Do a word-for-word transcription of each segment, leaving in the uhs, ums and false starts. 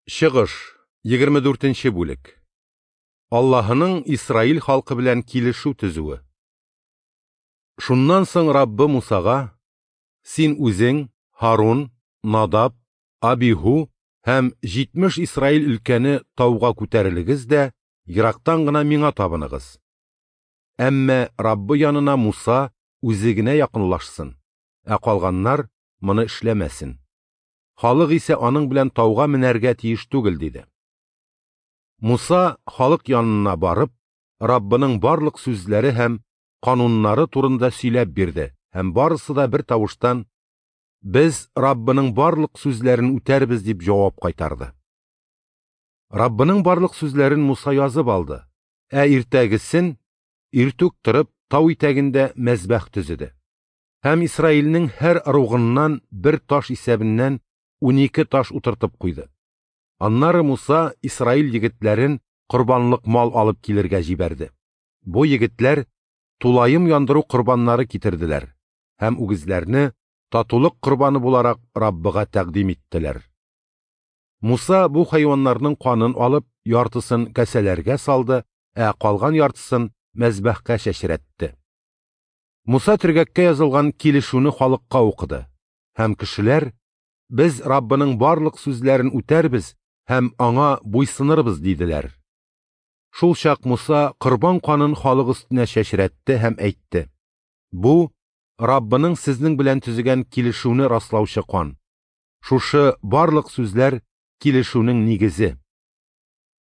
Чыгыш, егерме дүртенче бүлек. Аллаһының Исраил халкы белән килешү төзүе. Шуннан соң Раббы Мусага: "Син үзең, Һарун, Надаб, Абиһу һәм җитмеш Исраил өлкәне тауга күтәрелегез дә ерактан гына миңа табыныгыз. Әмма Раббы янына Муса үзе генә якынлашсын, ә калганнар моны эшләмәсен. Халык исә аның белән тауга менәргә тиеш түгел", диде. Муса халык янына барып, Раббының барлык сүзләре һәм кануннары турында сөйләп бирде, һәм барысы да бер тавыштан: "Без Раббының барлык сүзләрен үтәрбез", дип җавап кайтарды. Раббының барлык сүзләрен Муса язып алды, ә иртәгесен иртүк торып тау итәгендә мәзбәх төзеде. Һәм Исраилнең һәр ыругыннан бер таш исәбеннән унике таш утыртып куйды. Аннары Муса Исраил егетләрен корбанлык мал алып килергә җибәрде. Бу егетләр тулаем яндыру корбаннары китерделәр һәм үгезләрне татулык корбаны буларак Раббыга тәкъдим иттеләр. Муса бу хайваннарның канын алып, яртысын кәсәләргә салды, ә калган яртысын мәзбәхкә чәчрәтте. Муса төргәккә язылган килешүне халыкка укыды, һәм кешеләр: "Без Раббының барлык сүзләрен үтәрбез һәм аңа буйсынырбыз", диделәр. Шул чак Муса корбан канын халык өстенә чәчрәтте һәм әйтте: "Бу Раббының сезнең белән төзегән килешүне раслаучы кан. Шушы барлык сүзләр килешүнең нигезе".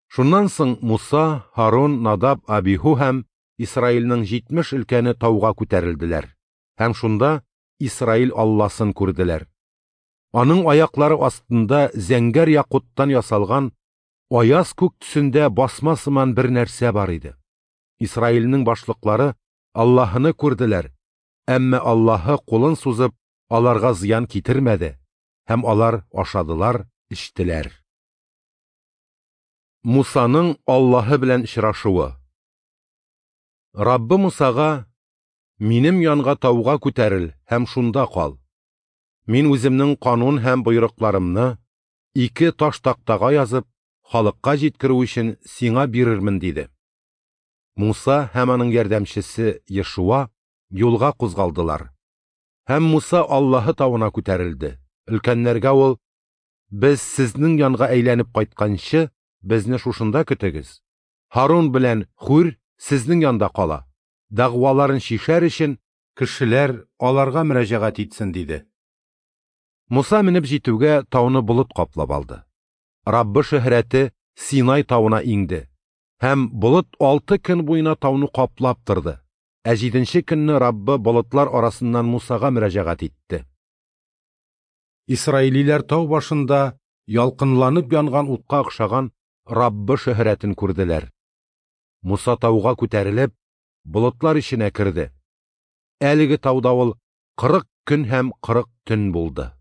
Шуннан соң Муса, Һарун, Надаб, Абиһу һәм Исраилнең җитмеш өлкәне тауга күтәрелделәр һәм шунда Исраил Алласын күрделәр. Аның аяклары астында зәңгәр якуттан ясалган аяз күк төсендә басма сыман бер нәрсә бар иде. Исраилнең башлыклары Аллаһыны күрделәр, әмма Аллаһы кулын сузып аларга зыян китермәде, һәм алар ашадылар, эчтеләр. Мусаның Аллаһы белән очрашуы. Раббы Мусага: "Минем янга тауга күтәрел һәм шунда кал. Мин үземнең канун һәм боерыкларымны ике таш тактага язып, халыкка җиткерү өчен сиңа бирермен", диде. Муса һәм аның ярдәмчесе Ешуа юлга кузгалдылар. Һәм Муса Аллаһы тавына күтәрелде. Өлкәннәргә ул: "Без сезнең янга әйләнеп кайтканчы, безне шушында көтегез. Һарун белән Хур сезнең янда кала. Дәгъваларын чишәр өчен кешеләр аларга мөрәҗәгать итсен", диде. Муса менеп җитүгә тауны болыт каплап алды. Раббы шөһрәте Синай тавына иңде, һәм болыт алты көн буена тауны каплап торды. Ә җиденче көнне Раббы болытлар арасыннан Мусага мөрәҗәгать итте. Исраилиләр тау башында ялкынланып янган утка охшаган Раббы шөһрәтен күрделәр. Муса тауга күтәрелеп, болытлар эченә керде. Әлеге тауда ул кырык көн һәм кырык төн булды.